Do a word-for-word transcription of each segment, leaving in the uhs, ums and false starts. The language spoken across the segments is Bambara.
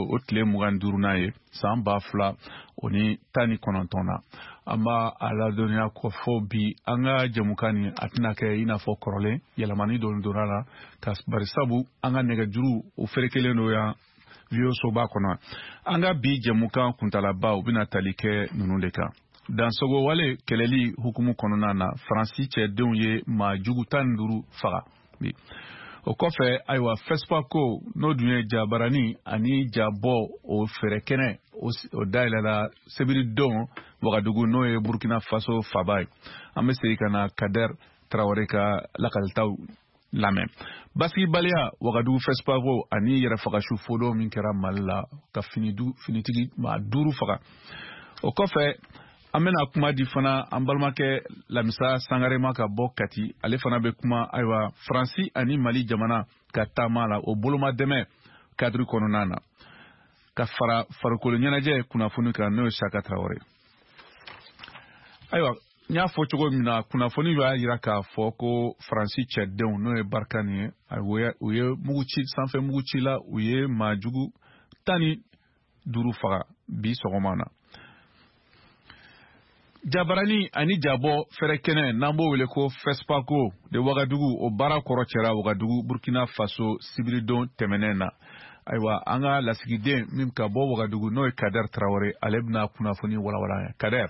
o tile mugan duurunan ye san ba fila o ni tan ni kɔnɔntɔn na. An b'a a ladɔnniya ko fɔ bi an ka jɛmukan nin a tɛna kɛ i n'a fɔ kɔrɔlen, yɛlɛmani dɔɔni donna la ka barisabu an ka nɛgɛjuru o ferekelen don yan V O soba kɔnɔ. An ka bi jɛmukan kuntalaba u bɛna tali kɛ ninnu de kan. Dansogo wale kɛlɛli hukumu kɔnɔna na, Faransi cɛdenw ye maa jugu tan ni duuru faga. O kɔfɛ, ayiwa, FESPACO n'o dun ye jabarani ani jabɔ o fɛɛrɛ kɛnɛ o dayɛlɛla sebiridon Wagadugu, n'o ye Burkina Faso faba ye. An bɛ segin ka na Kader Traoré ka lakalitaw lamɛn. Basigibaliya Wagadugu FESPACO ani yɛrɛfagasu fodon min kɛra Mali la ka finitigi maa duuru faga. O kɔfɛ, an bɛna kuma di fana an balimakɛ Lamisa Sangare ma ka bɔ Kati. Ale fana bɛ kuma ayiwa Faransi ani Mali jamana ka taama la o boloma dɛmɛ kadiri kɔnɔna na, ka fara farikolo ɲɛnajɛ kunnafoni kan, n'o ye Saka Traoré. Ayiwa, n y'a fɔ cogo min na, kunnafoni y'a jira k'a fɔ ko Faransi cɛdenw, n'o ye Barkhane ye, u ye mugu ci sanfɛ mugu ci la, u ye maa jugu tan ni duuru faga bi sɔgɔma na. Jabarani ani jabɔ fɛrɛ kɛnɛ n'an b'o wele ko FESPACO de Wagadugu, o baara kɔrɔ cɛra Wagadugu Burkina Faso sibiridon tɛmɛnen na. Ayiwa, an ka lasigiden min ka bɔ Wagadugu, n'o ye Kader Traoré, ale bɛna kunnafoni walawala an ye. Kader.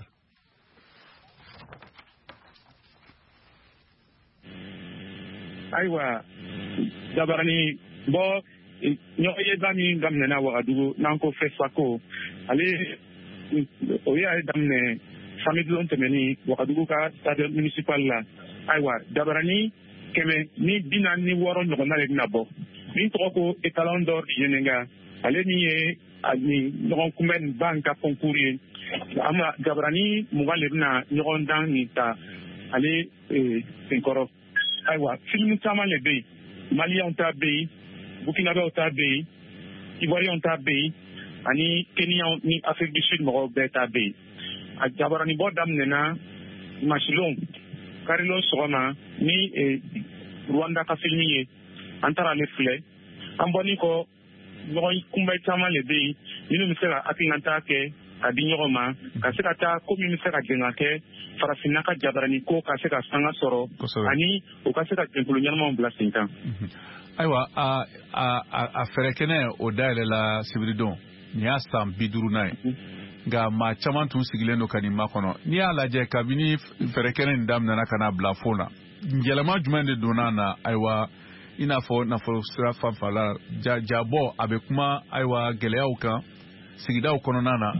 Ayiwa, jabarani bɔ ɲɔgɔnyeba min daminɛna Wagadugu n'an ko FESPACO, ale o y'a daminɛ samedi lon tɛmɛni Wagadugu ka stade municipal la. Ayiwa, jabarani kɛmɛ ni bi naani ni wɔɔrɔ ɲɔgɔnna de bɛna bɔ min tɔgɔ ko étalon d'or du Yennenga, ale min ye nin ɲɔgɔn kunbɛn ba ka concours ye. An jabarani mugan de bɛna ɲɔgɔn dan nin ta ale senkɔrɔ. Ayiwa, filimu caman de bɛ yen, Maliyɛnw ta bɛ yen, Burkinabɛw ta bɛ yen, Ivoiriyɛnw ta bɛ yen, ani Kenyaw ni Afrique du Sud mɔgɔw bɛɛ ta bɛ yen. A jabaranibɔ daminɛna masilon karilon sɔgɔma ni Rwanda ka filimi ye, an taara ale filɛ. An bɔlen kɔ, ɲɔgɔn kunbɛn caman de bɛ yen minnu bɛ se ka hakilinata kɛ ka di ɲɔgɔn ma, ka se ka taa ko min bɛ se ka jɛn ka kɛ farafinna ka jabarani ko ka se ka sanga sɔrɔ, ani u ka se ka jɛnkulu ɲɛnamaw bila sen kan. Ayiwa, a a a fɛɛrɛ kɛnɛ o dayɛlɛla sibiridon, nin y'a san bi duurunan ye. Nka maa caman tun sigilen don ka nin makɔnɔ. N'i y'a lajɛ kabini fɛɛrɛ kɛnɛ nin daminɛna ka n'a bila fo na, yɛlɛma jumɛn de donna na? Ayiwa, i n'a fɔ nafolo sira fanfɛla jabɔ a bɛ kuma ayiwa gɛlɛyaw kan sigidaw kɔnɔna na,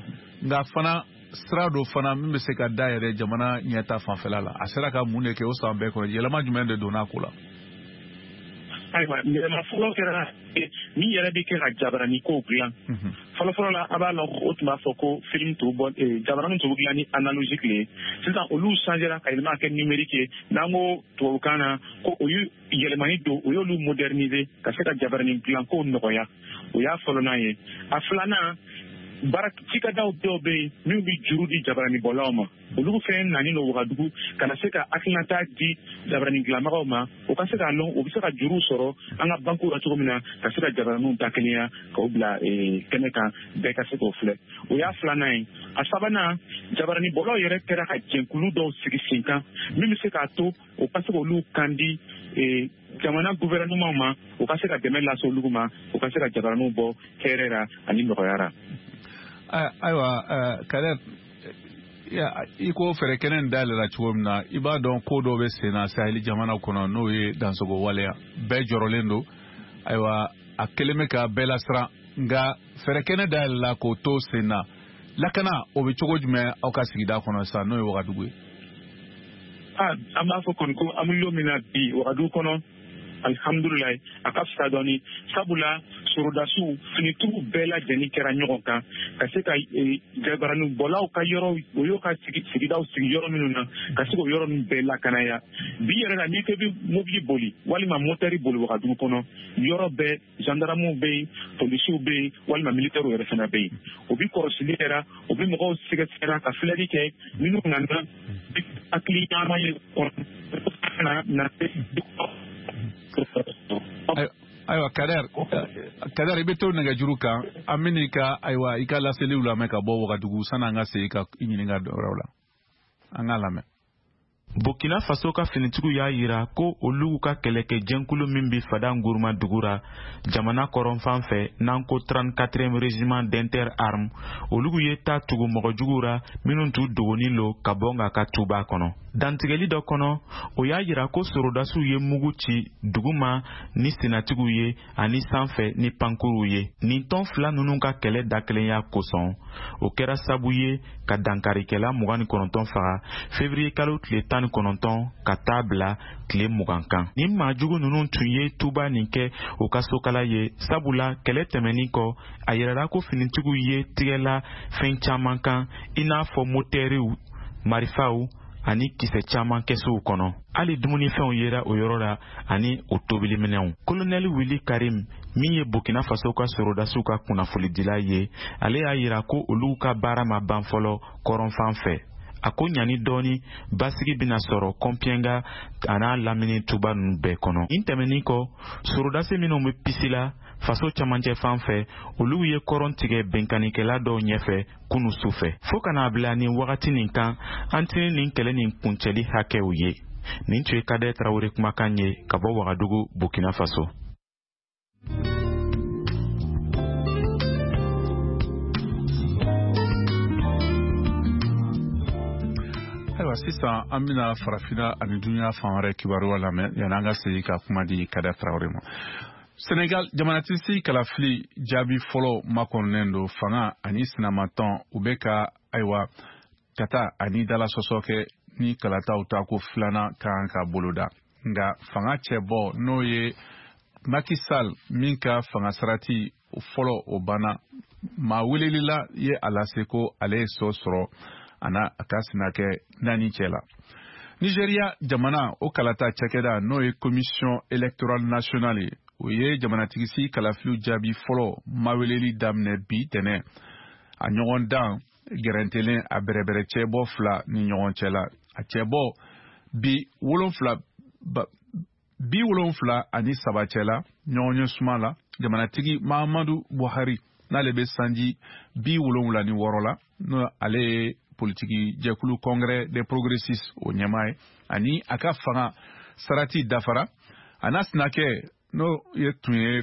nka fana sira dɔ fana min bɛ se ka dayɛlɛ jamana ɲɛta fanfɛla la, a sera ka mun de kɛ o san bɛɛ kɔnɔ? Yɛlɛma jumɛn de donna a ko la? Ayiwa, yɛlɛma fɔlɔ kɛra min yɛrɛ bɛ kɛ ka jabarani kow dilan. Fɔlɔfɔlɔ la, a b'a lɔn o tun b'a fɔ ko film tun bɔ jabarani tun bɛ dilan ni analogique le ye. Sisan olu changera ka yɛlɛma kɛ numérique ye. N'an ko tubabukan na ko o y'u yɛlɛmani don, o y'olu moderniser ka se ka jabarani dilan kow nɔgɔya. O y'a fɔlɔnan ye. A filanan, baara cikɛdaw dɔw bɛ yen minnu bɛ juru di jabaranibɔlaw ma, olu fɛn nani don Wagadugu ka na se ka hakilinata di jabarani dilanbagaw ma, o ka se k'a lɔn u bɛ se ka juruw sɔrɔ an ka bankiw la cogo min na, ka se ka jabaraniw dakelenya k'o bila kɛnɛ kan, bɛɛ ka se k'o filɛ. O y'a filanan ye. A sabanan, jabaranibɔlaw yɛrɛ kɛra ka jɛnkulu dɔw sigi sen kan min bɛ se k'a to o ka se k'olu kan di jamana gouvernement ma, o ka se ka dɛmɛ lase olu ma, o ka se ka jabaraniw bɔ hɛrɛ la ani nɔgɔya la. Ayiwa, Kader, i ko fɛɛrɛ kɛnɛ in dayɛlɛla cogo min na, i b'a dɔn ko dɔ bɛ sen na Sahel jamana kɔnɔ, n'o ye dansogo waleya. Bɛɛ jɔrɔlen don. Ayiwa, a kɛlen bɛ ka bɛɛ lasiran, nka fɛɛrɛ kɛnɛ dayɛlɛla k'o to sen na. Lakana o bɛ cogo jumɛn aw ka sigida kɔnɔ sisan, n'o ye Wagadugu ye? An b'a fɔ kɔni ko an bɛ don min na bi Wagadugu kɔnɔ, alhamdulilayi, a ka fisa dɔɔni, sabula sorodasiw finitigiw bɛɛ lajɛlen kɛra ɲɔgɔn kan ka se ka jabaranibɔlaw ka yɔrɔ, o y'o ka sigidaw sigi yɔrɔ minnu na, ka se k'o yɔrɔ ninnu bɛɛ lakanaya. Bi yɛrɛ la, n'i ko i bɛ mobili boli walima motɛri boli Wagadugu kɔnɔ, yɔrɔ bɛɛ gendarmew bɛ yen, polisiw bɛ yen, walima militɛriw yɛrɛ fana bɛ yen. O bi kɔlɔsili kɛra, o bi mɔgɔw sɛgɛsɛgɛra ka filɛli kɛ minnu nana hakili ɲaama ye kɔnɔ na. Ayiwa Kader, Kader i bɛ to nɛgɛjuru kan, an bɛ n'i ka ayiwa i ka laseliw lamɛn ka bɔ Wagadugu sanni an ka segin ka i ɲininka dɔ wɛrɛw la. An k'a lamɛn. Burkina Faso ka finitigiw y'a yira ko olu ka kɛlɛkɛjɛnkulu min bɛ Fada Nguruma dugu ra jamana kɔrɔnfan fɛ n'an ko trente-quatrième régiment d'inter-armes, olu ye taa tugu mɔgɔjuguw ra minnu t'u dogonin lo ka bɔ nka ka tuba kɔnɔ. Dantigɛli dɔ kɔnɔ, o y'a yira ko sorodasiw ye mugu ci duguma ni senatigiw ye ani sanfɛ ni pankuruw ye. Nin tɔn fila ninnu ka kɛlɛ dakelenya kosɔn, o kɛra sabu ye ka dankarikɛla mugan ni kɔnɔntɔn faga février kalo tile tan ni kɔnɔntɔn ka taa bila tile mugan kan. Nin maajugu ninnu tun ye tuba nin kɛ o ka sokala ye, sabula kɛlɛ tɛmɛnin kɔ, a yirala ko finitigiw ye tigɛla fɛn caman kan, i n'a fɔ motɛriw, marifaw ani kisɛ caman kɛsow kɔnɔ. Hali dumunifɛnw yera o yɔrɔ la ani o tobiliminɛnw. Kolonɛli Wili Karim, min ye Burkina Faso ka sorodasiw ka kunnafonidila ye, ale y'a yira ko olu ka baara ma ban fɔlɔ kɔrɔnfan fɛ. A ko ɲani dɔɔni basigi bɛna sɔrɔ Kɔnpiyɛnga a n'a lamini tuba ninnu bɛɛ kɔnɔ. Nin tɛmɛnin kɔ, sorodasi minnu bɛ pisi la faso camancɛ fan fɛ, olu ye kɔrɔn tigɛ bɛnkannikɛla dɔw ɲɛfɛ kunu su fɛ. Fo ka n'a bila nin wagati nin kan, an tɛ nin kɛlɛ nin kuncɛli hakɛw ye. Nin tun ye Kader Tarawele kumakan ye ka bɔ Wagadugu, Burkina Faso. Ayiwa sisan an bɛna farafinna ani dunuya fan wɛrɛ kibaruya lamɛn yanni an ka segin ka kuma di Kader Tarawele ma. Senegal jamanatigi kalafili jaabi fɔlɔ makɔnɔnen don fanga ani sinamatɔn u bɛ ka ayiwa ka taa ani dala sɔsɔ kɛ ni kalataw ta ko filanan kan ka boloda. Nka fanga cɛbɔ n'o ye Macky Sall min ka fanga sarati fɔlɔ o banna, maa welelila ye a lase ko ale ye sɔ sɔrɔ a n'a a ka sinakɛ naani cɛ la. Nigeria jamana o kalata cakɛda n'o ye commission électorale nationale ye, o ye jamanatigisigi kalafiliw jaabi fɔlɔ maweleli daminɛ bi tɛnɛ. A ɲɔgɔn dan gɛrɛntɛlen a bɛrɛbɛrɛ cɛbɔ fila ni ɲɔgɔn cɛ la. A cɛbɔ bi wolonfila bi wolonfila ani saba cɛ la ɲɔgɔn ye suma la. Jamanatigi Mahamadu Buhari n'ale bɛ sanji bi wolonwula ni wɔɔrɔ la, n'o ale ye politiki jɛkulu congrès des progressistes o ɲɛmaa ye, ani a ka fanga sarati dafara. A n'a sinakɛ n'o ye tun ye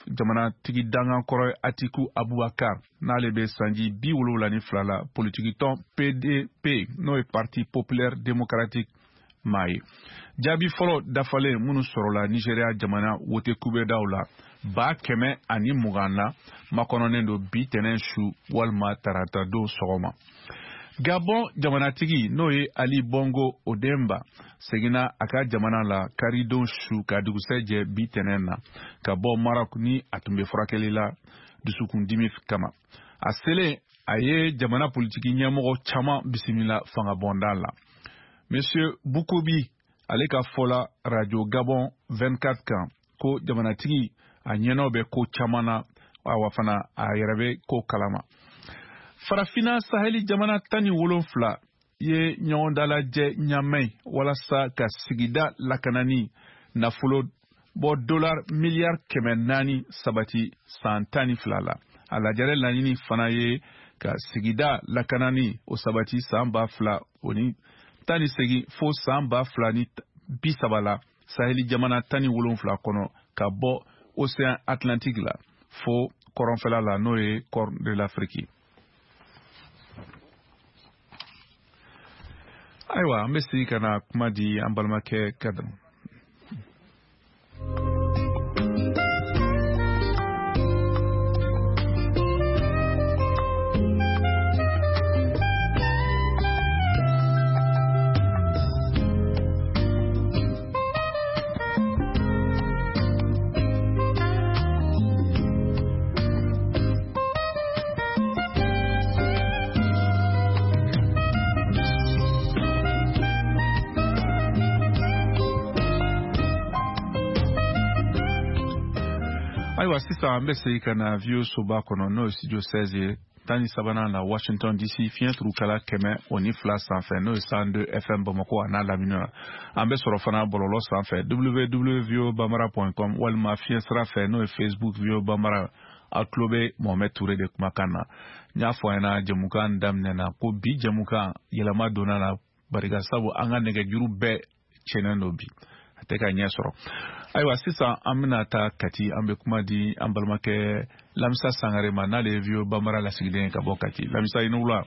jamanatigi dangan kɔrɔ ye Atiku Abubakar n'ale bɛ sanji bi wolonwula ni fila la, politiki tɔn P D P n'o ye Parti populaire démocratique maa ye. Jaabi fɔlɔ dafalen minnu sɔrɔla Nigeria jamana wote kubɛdaw la ba kɛmɛ ani mugan na makɔnɔnen don bi tɛnɛn su walima tarata don sɔgɔma. Gabon jamanatigi n'o ye Ali Bongo Odemba seginna a ka jamana la karidon su ka dugusɛjɛ bi tɛnɛn na ka bɔ Maroc ni a tun bɛ furakɛli la dusukundimi kama. A selen a ye jamana politiki ɲɛmɔgɔ caman bisimila fangabonda la. Monsieur Bukobi ale ka fɔ la Radio Gabon vingt-quatre kan ko jamanatigi a ɲɛnɔ bɛ ko caman na, awa fana a yɛrɛ bɛ ko kalama. Farafina saheli jamana tan ni wolonfila ye ɲɔgɔn dalajɛ ɲamɛ walasa ka sigida lakanani nafolo bɔ dollar miliyari kɛmɛ naani sabati san tan ni fila la. A lajɛrɛ laɲini fana ye ka sigida lakanani o sabati san ba fila o ni tan ni segin fo san ba fila ni bi saba la saheli jamana tan ni wolonfila kɔnɔ ka bɔ océan Atlantique la fo kɔrɔnfɛla la n'o ye Corne de l'Afrique. Ayiwa an bɛ segin ka na kuma di an balimakɛ Kader. Ayiwa, sisan an bɛ segin ka na V O A soba kɔnɔ, n'o ye studio seize ye, tan ni sabanan na Washington D C, fiɲɛ turukala kɛmɛ o ni fila sanfɛ, n'o ye cent deux F M Bamakɔ a n'a lamini na. An bɛ sɔrɔ fana bɔlɔlɔ sanfɛ, W W W point voabambara point com, walima fiɲɛ sira fɛ, n'o ye Facebook V O A Bambara. Aw tulo bɛ Mohamed Touré de kumakan na. N y'a fɔ a ɲɛna jɛmukan daminɛ na ko bi jɛmukan yɛlɛma donna la, barika sabu an ka nɛgɛjuru bɛɛ tiɲɛnen don bi, a tɛ ka ɲɛ sɔrɔ. Ayiwa, sisan an bɛna taa Kati, an bɛ kuma di an balimakɛ Lamisa Sangare ma, n'ale ye V O A Bambara lasigiden ye ka bɔ Kati. Lamisa, i ni wula.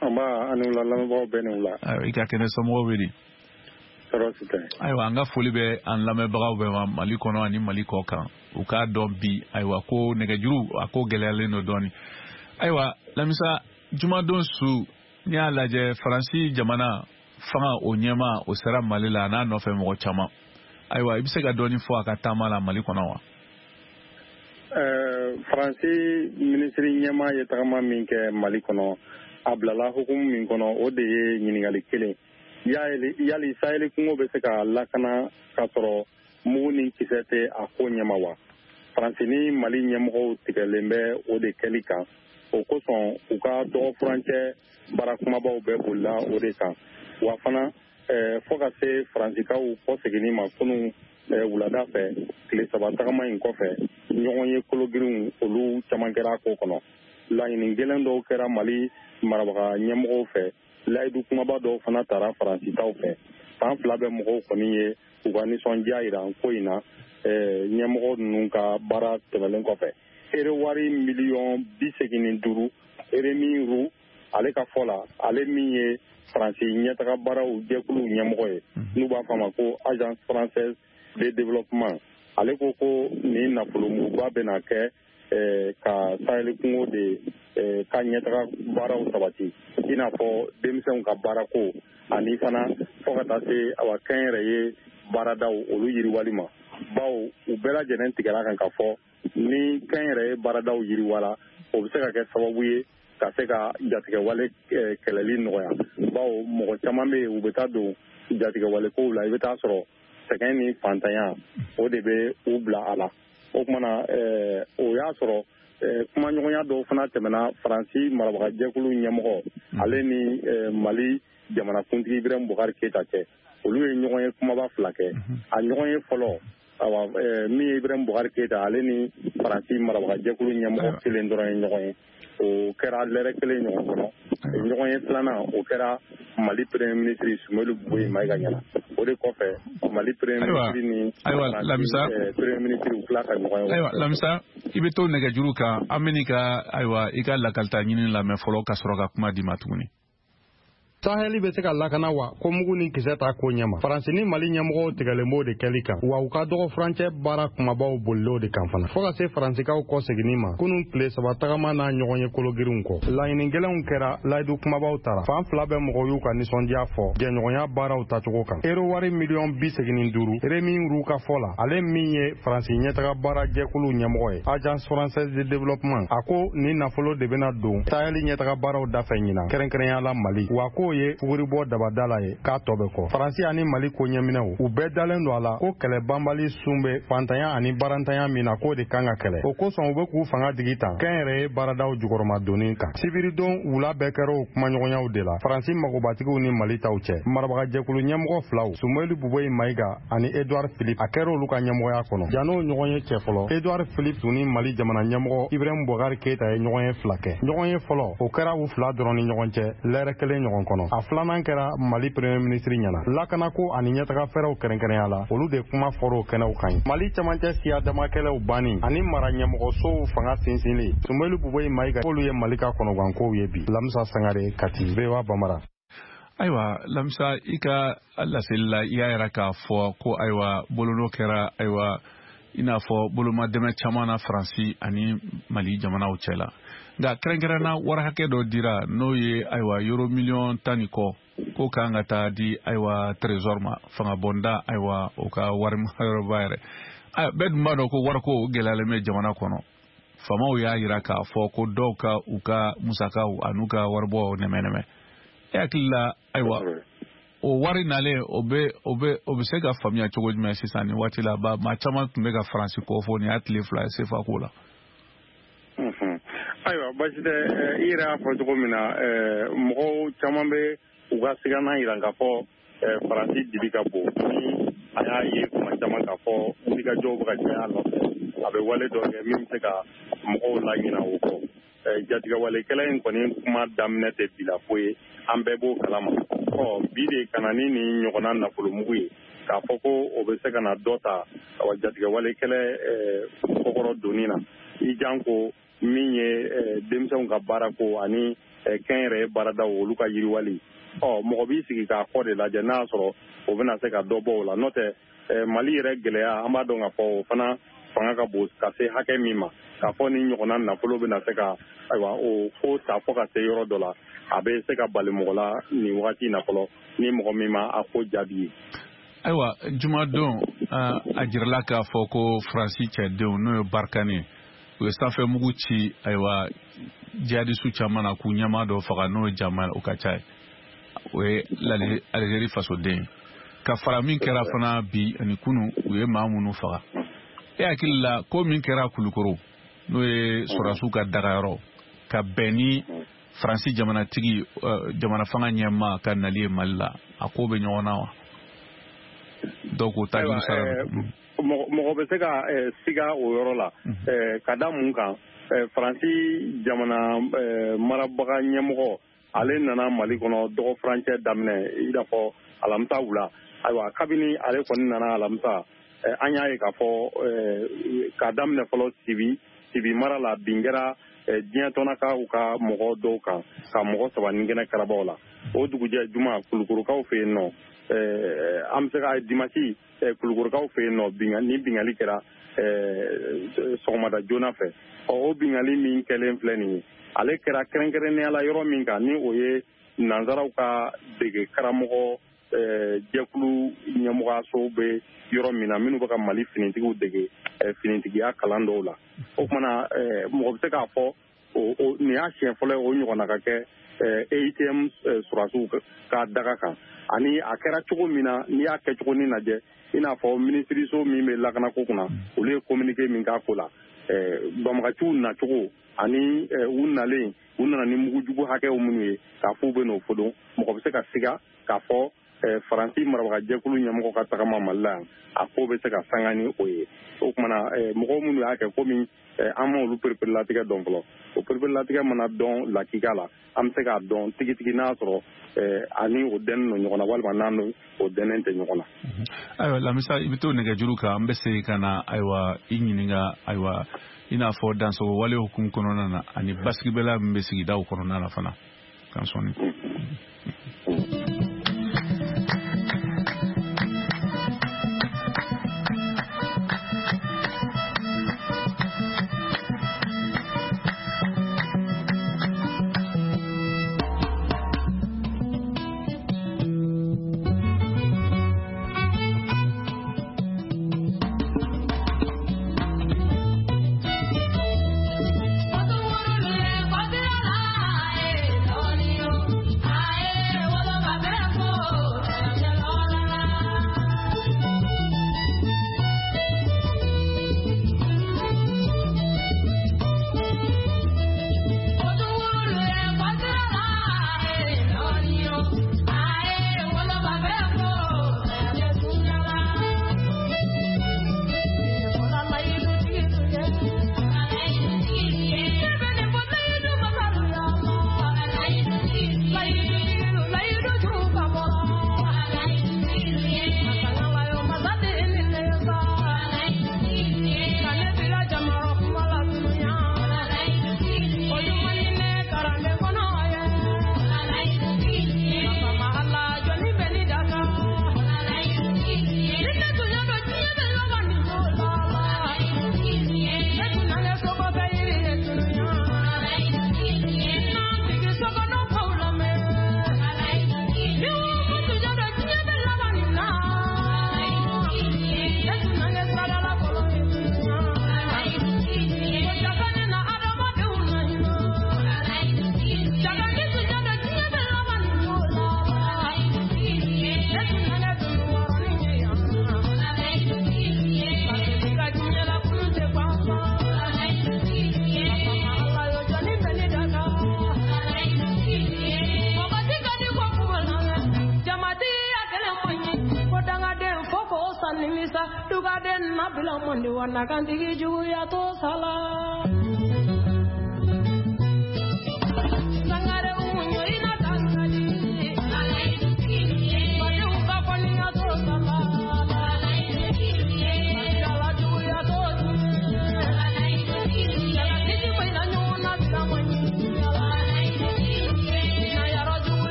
Nba, ani wula, lamɛnbagaw bɛɛ ni wula. Ayiwa, i ka kɛnɛ, somɔgɔw bɛ di? Tɔɔrɔ si tɛ. Ayiwa, an ka foli bɛ an lamɛnbagaw bɛɛ ma Mali kɔnɔ ani Mali kɔ kan. U k'a dɔn bi, ayiwa, ko nɛgɛjuru a ko gɛlɛyalen don dɔɔni. Ayiwa Lamisa, jumadon su, n'i y'a lajɛ, Faransi jamana fanga o ɲɛma o sera Mali la, a n'a nɔfɛ mɔgɔ caman. Ayiwa, i bɛ se ka dɔɔni fɔ a ka taama la Mali kɔnɔ wa? Ɛɛ, Faransi minisiri ɲɛmaa ye tagama min kɛ Mali kɔnɔ, a bilala hukumu min kɔnɔ, o de ye ɲininkali kelen: yali yali Saheli kungo bɛ se ka lakana k'a sɔrɔ mugu ni kisɛ tɛ a ko ɲɛma wa? Faransi ni Mali ɲɛmɔgɔw tigɛlen bɛ o de kɛli kan. O kosɔn, u ka dɔgɔ furancɛ baara kumabaw bɛɛ bolila o de kan. Wa fana, fɔ ka se Faransikaw kɔseginni ma kunun wulada fɛ, tile saba tagama in kɔfɛ, ɲɔgɔn ye kologirinw olu caman kɛra a ko kɔnɔ. Laɲini gɛlɛn dɔw kɛra Mali marabaga ɲɛmɔgɔw fɛ, layidu kumaba dɔw fana tara Faransitaw fɛ. Fan fila bɛ mɔgɔw kɔni ye u ka nisɔndiya yira ko in na ɲɛmɔgɔ ninnu ka baara tɛmɛlen kɔfɛ. Ere wari miliyɔn bi segin ni duuru, Rémy Roux ale ka fɔ la, ale min ye Faransi ɲɛtaga baaraw jɛkuluw ɲɛmɔgɔ ye, n'u b'a fɔ a ma ko Agence française de développement, ale ko ko nin nafolomuguba bɛna kɛ ka Saheli kungo de ka ɲɛtaga baaraw sabati, i n'a fɔ denmisɛnw ka baarako, ani fana fo ka taa se awa kɛnyɛrɛye baaradaw olu yiriwali ma, bawo u bɛɛ lajɛlen tigɛra kan ka fɔ ni kɛnyɛrɛye baaradaw yiriwala, o bɛ se ka kɛ sababu ye ka se ka jatigɛwale kɛlɛli nɔgɔya, bawo mɔgɔ caman bɛ yen, u bɛ taa don jatigɛwale kow la, i bɛ taa sɔrɔ sɛgɛn ni fantanya o de bɛ u bila a la. O kumana o y'a sɔrɔ kumaɲɔgɔnya dɔw fana tɛmɛna Faransi marabagajɛkulu ɲɛmɔgɔ ale ni Mali jamanakuntigi Ibrahim Boubacar Keita cɛ. Olu ye ɲɔgɔn ye kumaba fila kɛ. A ɲɔgɔn ye fɔlɔ, awa, min ye Ibrahim Boubacar Keita ale ni Faransi marabagajɛkulu ɲɛmɔgɔ kelen dɔrɔn ye ɲɔgɔn ye, o kɛra lɛrɛ kelen ɲɔgɔn kɔnɔ. Ɲɔgɔn ye filanan, o kɛra Mali premier ministre Soumeylou Boubèye Maïga ɲɛna. O de kɔfɛ, Mali premier ministre ni Ayiwa Lamisa, premier ministre u tila ka ɲɔgɔn ye. Ayiwa Lamisa, i bɛ to nɛgɛjuru kan, an bɛ n'i ka, ayiwa, i ka lakalita ɲini lamɛn fɔlɔ ka sɔrɔ ka kuma d'i ma tuguni. Sahɛli bɛ se ka lakana wa ko mugu ni kisɛ t'a ko ɲɛma? Faransi ni Mali ɲɛmɔgɔw tigɛlen b'o de kɛli kan, wa u ka dɔgɔ furancɛ baara kumabaw bolil'o de kan fana, fɔɔ ka se Faransikaw kɔ seginni ma kunun tile saba tagama n'a ɲɔgɔn ye kologirinw kɔ. Laɲini gɛlɛnw kɛra, layidu kumabaw tara. Fan fila bɛ mɔgɔw y'u ka nisɔndiya fɔ jɛɲɔgɔnya baaraw tacogo kan. Ero wari miliyɔn bi segin ni duuru, Rémy Roux ka fɔ la, ale min ye Faransi ɲɛtaga baara jɛkulu ɲɛmɔgɔ ye, Agence française de développement, a ko nin nafolo de bɛna don Sahɛli ɲɛtaga baaraw dafɛ ɲinan, kɛrɛnkɛrɛnya la Mali, wa k'o ye fuguribɔ dabada la ye k'a tɔ bɛ kɔ. Faransi ani Mali ko ɲɛminɛw, u bɛɛ dalen don a la ko kɛlɛ banbali sun bɛ fantanya ani barantanya min na, k'o de kan ka kɛlɛ. O kosɔn, u bɛ k'u fanga digi tan kɛnyɛrɛye baaradaw jukɔrɔmadonni kan. Sibiridon wula bɛɛ kɛra o kumaɲɔgɔnyaw de la Faransi magobatigiw ni Mali taw cɛ. Marabagajɛkulu ɲɛmɔgɔ filaw, Soumeylou Boubèye Maïga ani Edouard Philippe, a kɛra olu ka ɲɛmɔgɔya kɔnɔ. Jan'o ɲɔgɔn ye cɛ fɔlɔ, Edouard Philippe tun ni Mali jamana ɲɛmɔgɔ Ibrahim Boubacar Keita ye ɲɔgɔn ye fila kɛ. Ɲɔgɔn ye fɔlɔ, o kɛra u fila dɔrɔn ni ɲɔgɔn cɛ lɛrɛ kelen ɲɔgɔn kɔnɔ. A filanan kɛra Mali premier ministre ɲɛna. Lakanako ani ɲɛtaga fɛrɛw kɛrɛnkɛrɛnya la, olu de kuma fɔr'o kɛnɛw kan ye. Mali camancɛ siya damakɛlɛw banni ani mara ɲɛmɔgɔsow fanga sinsinli, Soumeylou Boubèye Maïga k'olu ye Mali ka kɔnɔgankow ye bi. Lamisa Sangare, Kati, V O A Bambara. Ayiwa Lamisa, i ka laseli la, i y'a yira k'a fɔ ko, ayiwa, bolonɔ kɛra, ayiwa, i n'a fɔ boloma dɛmɛ caman na Faransi ani Mali jamanaw cɛ la, nka kɛrɛnkɛrɛnna wari hakɛ dɔ dira, n'o ye, ayiwa, euro miliyɔn tan ni kɔ, ko kan ka taa di, ayiwa, trésor ma, fanga bɔnda, ayiwa, o ka wari yɔrɔba yɛrɛ. Bɛɛ dun b'a dɔn ko wariko gɛlɛyalen bɛ jamana kɔnɔ. Faamaw y'a yira k'a fɔ ko dɔw ka u ka musakaw an'u ka waribɔ nɛmɛ nɛmɛ. E hakili la, ayiwa, O wari nalen, o bɛ o bɛ o bɛ se ka faamuya cogo jumɛn sisan nin waati la? Ba maa caman tun bɛ ka Faransi kɔ fɔ nin y'a tile fila ye C F A ko la. Ayiwa, basi tɛ. I yɛrɛ y'a fɔ cogo min na, mɔgɔw caman bɛ u ka sigana yira k'a fɔ Faransi dibi ka bon. Ni a y'a ye kuma caman k'a fɔ wulikajɔw bɛ ka caya a nɔfɛ, a bɛ wale dɔ kɛ min bɛ se ka mɔgɔw laɲina o kɔ. Jatigɛwalekɛla in kɔni kuma daminɛ tɛ bi la ko ye, an bɛɛ b'o kalama. Ɔ bi de ka na ni nin ɲɔgɔnna nafolomugu ye k'a fɔ ko o bɛ se ka na dɔ ta jatigɛwalekɛlɛ kɔkɔrɔ donni na, i janko min ye denmisɛnw ka baarako ani kɛnyɛrɛye baaradaw, olu ka yiriwali. Ɔ mɔgɔ b'i sigi k'a kɔ de lajɛ n'a y'a sɔrɔ o bɛna se ka dɔ bɔ o la. N'o tɛ, Mali yɛrɛ gɛlɛya, an b'a dɔn k'a fɔ o fana fanga ka bon ka se hakɛ min ma, k'a fɔ ni ɲɔgɔnna nafolo bɛna se ka, ayiwa, o ko ta fɔ ka se yɔrɔ dɔ la, a bɛ se ka bali mɔgɔ la nin wagati in na fɔlɔ, ni mɔgɔ min ma a ko jaabi ye. Ayiwa, jumadon a jirala k'a fɔ ko Faransi cɛdenw, n'o ye Barkhane, u ye sanfɛ mugu ci, ayiwa, jihadisu caman na, k'u ɲɛmaa dɔ faga, n'o ye Jamal Okacha ye, o ye Algérie fasoden ye. Ka fara min kɛra fana bi ani kunu, u ye maa minnu faga, e hakili la ko min kɛra Kulukoro, n'o ye sɔrɔdasiw ka dagayɔrɔ, ka bɛn ni Faransi jamanatigi, jamana fanga ɲɛmaa ka nali ye Mali la, a ko bɛ ɲɔgɔn na wa? Dɔw k'o ta juru sara. Mɔgɔ bɛ se ka siga o yɔrɔ la ka da mun kan? Faransi jamana marabaga ɲɛmɔgɔ, ale nana Mali kɔnɔ dɔgɔ furancɛ daminɛ i n'a fɔ alamisa wula. Ayiwa, kabini ale kɔni nana alamisa, an y'a ye k'a fɔ k'a daminɛ fɔlɔ Sibi Sibi mara la, bin kɛra diɲɛ tɔnakaw ka mɔgɔ dɔw kan, ka mɔgɔ saba ni kɛnɛ karabaw la. O dugujɛ juma, Kulukorokaw fɛ yen nɔ, an bɛ se ka dimasi Kulukorokaw fɛ yen nɔ, ni bingali kɛra sɔgɔmada joona fɛ. Ɔ o bingali min kɛlen filɛ nin ye, ale kɛra kɛrɛnkɛrɛnnenya la yɔrɔ min kan, ni o ye nanzaraw ka dege karamɔgɔ jɛkulu ɲɛmɔgɔyaso bɛ yɔrɔ min na, minnu bɛ ka Mali finitigiw dege finitigiya kalan dɔw la. O kumana, mɔgɔ bɛ se k'a fɔ nin y'a siɲɛ fɔlɔ ye o ɲɔgɔnna ka kɛ E U T M sɔrɔdasiw ka daga kan. Ani a kɛra cogo min na, n'i y'a kɛ cogo ni lajɛ, i n'a fɔ minisiriso min bɛ lakanako kunna, olu ye communiqué min k'a ko la, banbagaciw nacogo ani u nalen, u nana ni mugujugu hakɛw minnu ye k'a fɔ u bɛ n'o fodon, mɔgɔ bɛ se ka siga k'a fɔ Faransi marabagajɛkulu ɲɛmɔgɔ ka tagama Mali la yan, a ko bɛ se ka sanga ni o ye. O kumana, mɔgɔw minnu y'a kɛ, komi an ma olu pereperelatigɛ dɔn fɔlɔ, o pereperelatigɛ mana dɔn lakika la, an bɛ se k'a dɔn tigitigi n'a sɔrɔ ani o dɛnnen don ɲɔgɔn na walima n'an o dɛnnen tɛ ɲɔgɔn na. Ayiwa, Lamisa, i bɛ to nɛgɛjuru kan, an bɛ segin ka na, ayiwa, i ɲininka, ayiwa, i n'a fɔ dansogo wale hukumu kɔnɔna na ani basigibɛla min bɛ sigidaw kɔnɔna na fana kan sɔnni. Aye.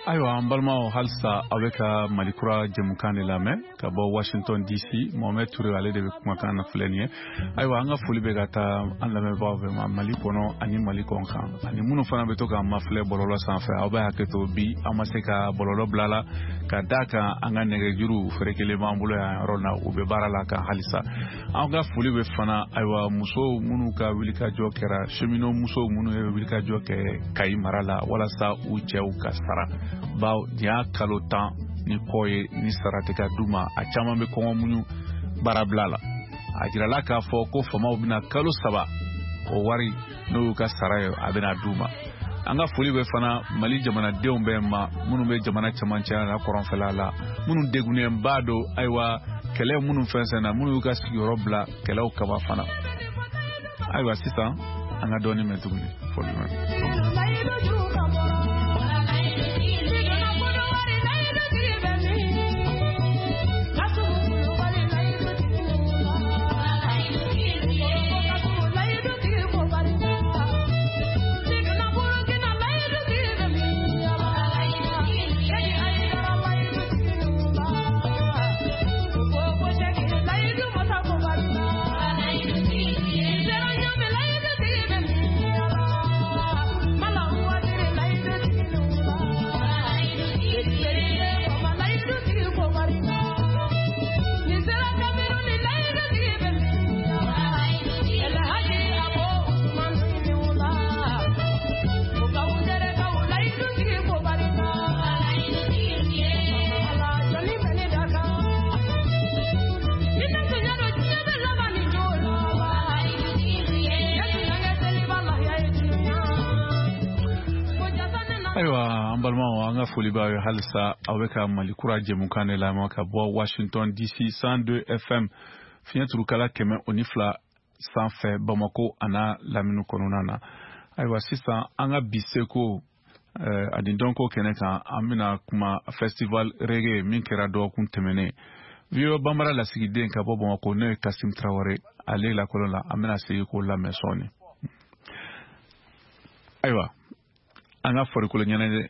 Ayiwa an balimaw, halisa aw bɛ ka Malikura jɛmukan de lamɛn ka bɔ Washington D C. Mohamed Touré ale de bɛ kumakan na filɛ nin ye. Ayiwa an ka foli bɛ ka taa an lamɛnbagaw bɛɛ ma Mali kɔnɔ ani Mali kɔn kan, ani minnu fana bɛ to k'an mafilɛ bɔlɔlɔ sanfɛ. Aw bɛ hakɛ to bi an ma se ka bɔlɔlɔ bila la ka d'a kan an ka nɛgɛjuru ferekelen b'an bolo yan yɔrɔ na, u bɛ baara la kan halisa. An ka foli bɛ fana ayiwa musow minnu ka wulikajɔ kɛra, cheminot musow minnu ye wulikajɔ kɛ Kayi mara la walasa u cɛw ka sara, bawo nin y'a kalo tan ni kɔ ye ni sara tɛ ka d'u ma. A caman bɛ kɔngɔ muɲu baarabila la. A jirala k'a fɔ ko faamaw bɛna kalo saba o wari n'o y'u ka sara ye, a bɛna d'u ma. An ka foli bɛ fana Mali jamanadenw bɛɛ ma minnu bɛ jamana cɛmancɛ la kɔrɔnfɛla la, minnu degunnenba don ayiwa kɛlɛ minnu fɛnsɛn na, minnu y'u ka sigiyɔrɔ bila kɛlɛw kaba fana. Ayiwa sisan an ka dɔɔnin mɛn tuguni foli mɛn. Ayiwa an balimaw, an ka foli b'aw ye halisa aw bɛ ka Malikura jɛmukan de lamɛn ka bɔ Washington D C cent deux F M fiɲɛ turukala kɛmɛ o ni fila sanfɛ Bamako a n'a lamini kɔnɔna na. Ayiwa sisan an ka bi seko ani dɔnko kɛnɛ kan, an bɛna kuma festival reggae min kɛra dɔgɔkun tɛmɛnen. V O A Bambara lasigiden ka bɔ Bamako n'o ye Kasim Traoré, ale lakɔlɔ la, an bɛna segin k'o lamɛn sɔɔni. Ayiwa an ka farikolo ɲɛnajɛ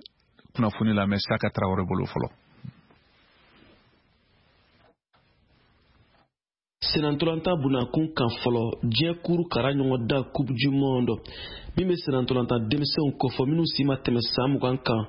kunnafoni lamɛn Saka Traoré bolo fɔlɔ. Senantolantan bunakun kan fɔlɔ, diɲɛ kuru kara ɲɔgɔndan Coupe du Monde min bɛ senantolantan denmisɛnw kofɔ minnu si ma tɛmɛ san mugan kan,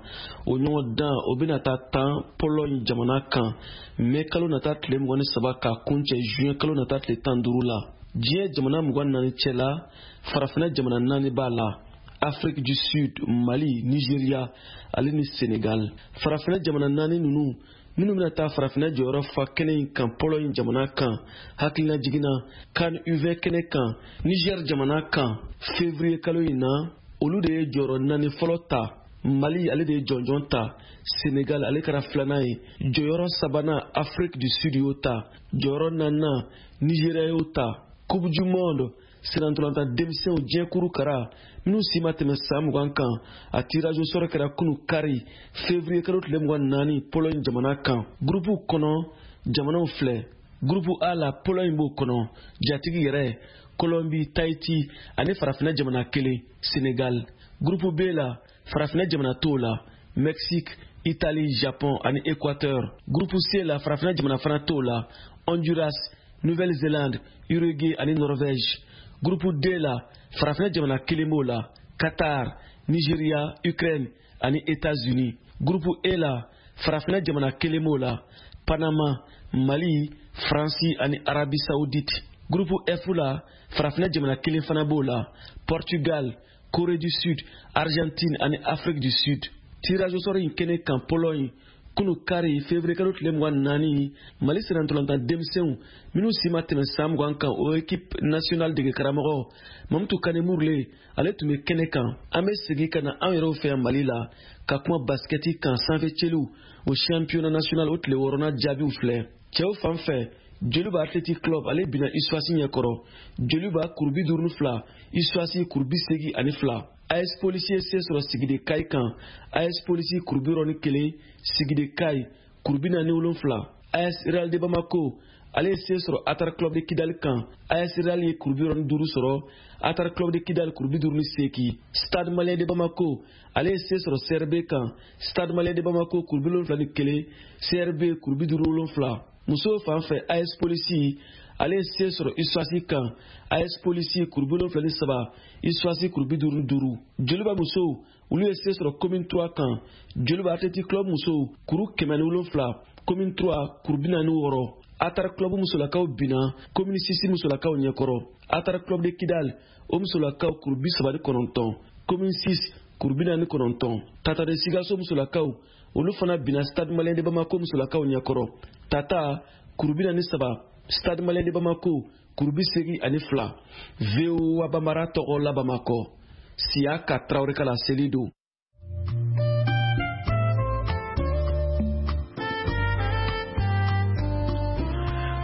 o ɲɔgɔndan o bɛna taa tan Pologne jamana kan mɛ kalo nata tile mugan ni saba k'a kuncɛ juin kalo nata tile tan duuru la. Diɲɛ jamana mugan naani cɛla, farafinna jamana naani b'a la: Afrique du Sud, Mali, Nigeria ale ni Sénégal. Farafinna jamana naani ninnu minnu bɛna taa farafinna jɔyɔrɔ fa kɛnɛ in kan Pologne jamana kan, hakilina jiginna CAN U vingt kɛnɛ kan Niger jamana kan février kalo in na, olu de ye jɔyɔrɔ naani fɔlɔ ta. Mali ale de ye jɔnjɔn ta, Sénégal ale kɛra filanan ye, jɔyɔrɔ sabanan Afrique du Sud y'o ta, jɔyɔrɔ naaninan Nigeria y'o ta. Coupe du Monde senantolantan denmisɛnw diɲɛ kuru kara minnu si ma tɛmɛ san mugan kan, a tirage au sort kɛra kunu kari février kalo tile mugan naani Pologne jamana kan. Gurupu kɔnɔ jamanaw filɛ: gurupu A la Pologne b'o kɔnɔ, jatigi yɛrɛ Colombie, Tahiti ani farafinna jamana kelen Sénégal. Gurupu B la farafinna jamana t'o la, Mexique, Italie, Japon ani Équateur. Gurupu C la farafinna jamana fana t'o la, Honduras, Nouvelle-Zélande, Uruguay ani Norvège. Groupe D la farafinna jamana kelen b'o la, Qatar, Nigeria, Ukraine ani États-Unis. Groupe E la farafinna jamana kelen b'o la, Panama, Mali, Faransi ani Arabie Saoudite. Groupe F la farafinna jamana kelen fana b'o la, Portugal, Corée du Sud, Argentine ani Afrique du Sud. Tirage au sort in kɛnɛ kan Pologne Kunu kari février kalo tile mugan naani, Mali sennantolatan denmisɛnw minnu si ma tɛmɛ san mugan kan, o équipe nationale dege karamɔgɔ Mamutu Kane Murule, ale tun bɛ kɛnɛ kan. An bɛ segin ka na an yɛrɛw fɛ yan Mali la ka kuma basikɛti kan. Sanfɛ cɛliw o championnat national o tile wɔɔrɔnan jaabiw filɛ. Cɛw fan fɛ, Joliba Athletic Club ale binna USFAS ɲɛkɔrɔ, Joliba kuru bi duuru ni fila, USFAS kuru bi seegin ani fila. A S Polisi ye se sɔrɔ Sigide Kayi kan, A S Polisi kuru bi wɔɔrɔ ni kelen, Sigide Kayi kuru bi naani wolonfila. A S Real de Bamako ale ye se sɔrɔ Atar Club de Kidali kan, A S Real ye kuru bi wɔɔrɔ ni duuru sɔrɔ, Atar Club de Kidali kuru bi duuru ni seegin. Stade Malien de Bamako ale ye se sɔrɔ C R B kan, Stade Malien de Bamako kuru bi wolonfila ni kelen, C R B kuru bi duuru wolonfila. Musow fan fɛ, A S Polisi ale ye se sɔrɔ USFAS kan, A S Polisi kuru bi wolonfila ni saba, USFAS kuru bi duuru ni duuru. Joliba musow olu ye se sɔrɔ Commune trois kan, Joliba Athletic Club musow kuru kɛmɛ ni wolonfila, Commune trois kuru bi naani wɔɔrɔ. Atar Club musolakaw binna Commune six musolakaw ɲɛkɔrɔ, Atar Club de Kidal o musolakaw kuru bi saba ni kɔnɔntɔn, Commune six kuru bi naani kɔnɔntɔn. Tata de Sikaso musolakaw olu fana binna Stade Malien de Bamako musolakaw ɲɛkɔrɔ, Tata kuru bi naani saba, Stade Malien de Bamako kuru bi seegin ani fila. V O A Bambara tɔgɔ la Bamakɔ, Siyaka Tarawele ka laseli don.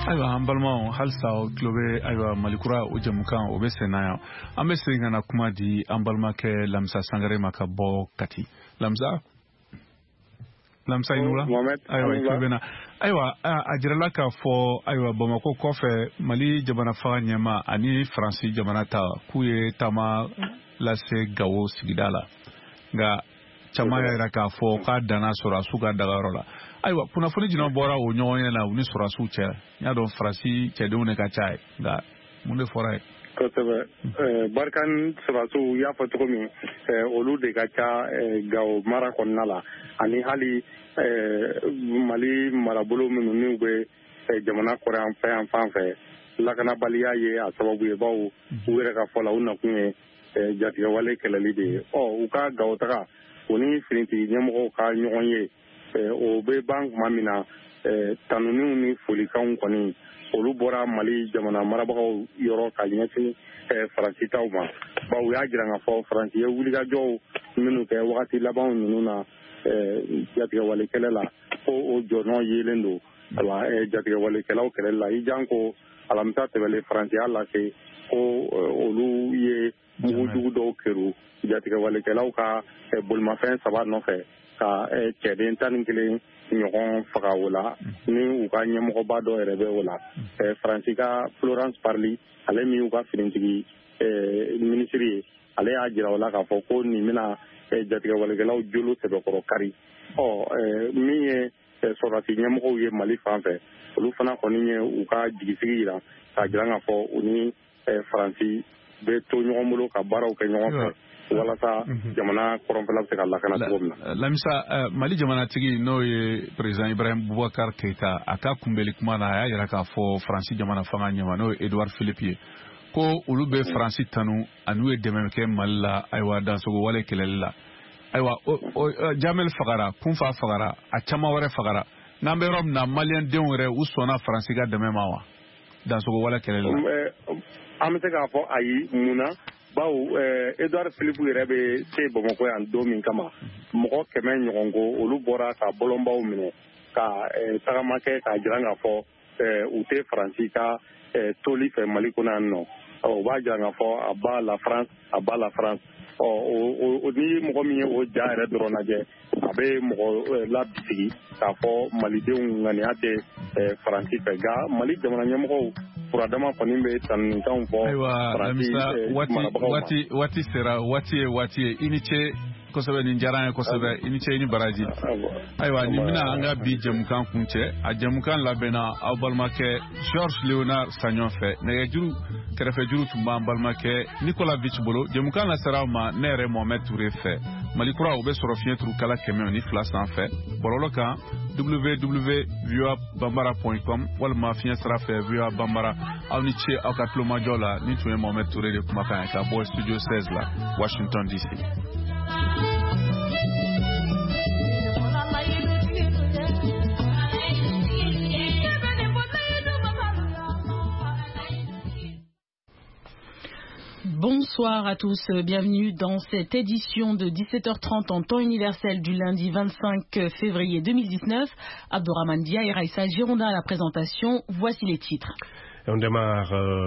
Ayiwa, an balimaw, halisa aw tulo bɛ ayiwa Malikura o jamukan o bɛ sen na yan. An bɛ segin ka na kuma di an balimakɛ Lamisa Sangare ma ka bɔ Kati. Lamisa, Lamisa, i ni wula. Ayiwa, i tulo bɛ na. Ayiwa, a jirala k'a fɔ ayiwa Bamakɔ kɔfɛ, Mali jamana faga ɲɛma ani Faransi jamana ta k'u ye taama lase Gawo sigida la, nka caman y'a yira k'a fɔ k'a danna sɔrɔdasiw ka dagayɔrɔ la. Ayiwa, kunnafoni jumɛn bɔra o ɲɔgɔn na u ni sɔrɔdasiw cɛ? N y'a dɔn Faransi cɛdenw de ka ca ye, nka mun de fɔra ye? Kosɛbɛ. Barkhane sɔrɔdasiw, i y'a fɔ cogo min, olu de ka ca Gawo mara kɔnɔna la, ani hali Mali marabolo minnu n'u bɛ jamana kɔrɔyan fɛ yan fan fɛ. Lakanabaliya ye a sababu ye, bawo u yɛrɛ ka fɔ la, u nakun ye jatigɛwale kɛlɛli de ye. Ɔ u ka Gawo taga, o ni finitigi ɲɛmɔgɔw ka ɲɔgɔn ye, o bɛ ban tuma min na, tanuniw ni folikanw kɔni olu bɔra Mali jamana marabagaw yɔrɔ ka ɲɛsin Faransi taw ma, bawo u y'a jira k'a fɔ Faransi ye wulikajɔw minnu kɛ wagati labanw ninnu na jatigɛwale kɛlɛ la, ko o jɔnɔ yelen don ayiwa jatigɛwalekɛlaw kɛlɛli la. I jan ko alamisa tɛmɛlen, Faransi y'a lase ko olu ye mugujugu dɔw keru jatigɛwalekɛlaw ka bolimafɛn saba nɔfɛ ka cɛden tan ni kelen ɲɔgɔn faga o la, ni u ka ɲɛmɔgɔba dɔ yɛrɛ bɛ o la. Faransi ka Florence Parly, ale min y'u ka finitigi minisiri ye, ale y'a jira o la k'a fɔ ko nin bɛna jatigɛwalekɛlaw jolo sɛbɛkɔrɔ kari. Ɔ min ye sɔrɔdasi ɲɛmɔgɔw ye Mali fan fɛ, olu fana kɔni ye u ka jigisigi jira k'a jira k'a fɔ u ni Faransi bɛ to ɲɔgɔn bolo ka baaraw kɛ ɲɔgɔn fɛ walasa jamana kɔrɔnfɛla bɛ se ka lakana cogo min na. Lamisa, Mali jamanatigi n'o ye président Ibrahim Boubacar Keita, a ka kunbɛli kuma na, a y'a jira k'a fɔ Faransi jamana fanga ɲɛma n'o ye Edouard Philippe ye, ko olu bɛ Faransi tanu ani ye dɛmɛ kɛ Mali la ayiwa dansogo wale kɛlɛli la. Ayiwa, Jamel fagara, Kunfa fagara, a caman wɛrɛ fagara. N'an bɛ yɔrɔ min na, maliyɛn denw yɛrɛ u sɔnna Faransi ka dɛmɛ ma wa dansogo wale kɛlɛli la? An bɛ se k'a fɔ ayi. Mun na? Bawo Edouard Philippe yɛrɛ bɛ se Bamakɔ yan don min kama, mɔgɔ kɛmɛ ɲɔgɔn ko olu bɔra ka bɔlɔnbaw minɛ ka tagama kɛ k'a jira k'a fɔ u tɛ Faransi ka toli fɛ Mali kɔnɔ yan nɔ. O b'a jira k'a fɔ à bas la France, à bas la France. Ɔ ni mɔgɔ min ye o ja yɛrɛ dɔrɔn lajɛ, a bɛ mɔgɔ labisigi k'a fɔ malidenw ŋaniya tɛ Faransi fɛ. Nka Mali jamana ɲɛmɔgɔw furadama kɔni bɛ tanunikanw fɔ. Ayiwa Lamisa, waati waati waati sera, waati ye waati ye. I ni ce kosɛbɛ, nin diyara an ye kosɛbɛ. I ni ce, i ni baraji. Ayiwa, nin bɛna an ka bi jɛmukan kuncɛ. A jɛmukan labɛnna aw balimakɛ Georges Léonard Sagnon fɛ. Nɛgɛjuru kɛrɛfɛjuru tun b'an balimakɛ Nicolas Vich bolo. Jɛmukan lasera aw ma ne yɛrɛ Mohamed Touré fɛ. Mali kura o bɛ sɔrɔ fiɲɛ turukala kɛmɛ ni fila sanfɛ, bɔlɔlɔ kan w w w point voa bambara point com walima fiɲɛ sira fɛ V O A Bambara. Aw ni ce aw ka tulomajɔ la. Ni tun ye Mohamed Touré de kumakan ye ka bɔ studio seize la, Washington D C. Bonsoir à tous, bienvenue dans cette édition de dix-sept heures trente en temps universel du lundi vingt-cinq février deux mille dix-neuf. Abdourahmane Dia et Raïssa Girondin à la présentation, voici les titres. Et on démarre euh,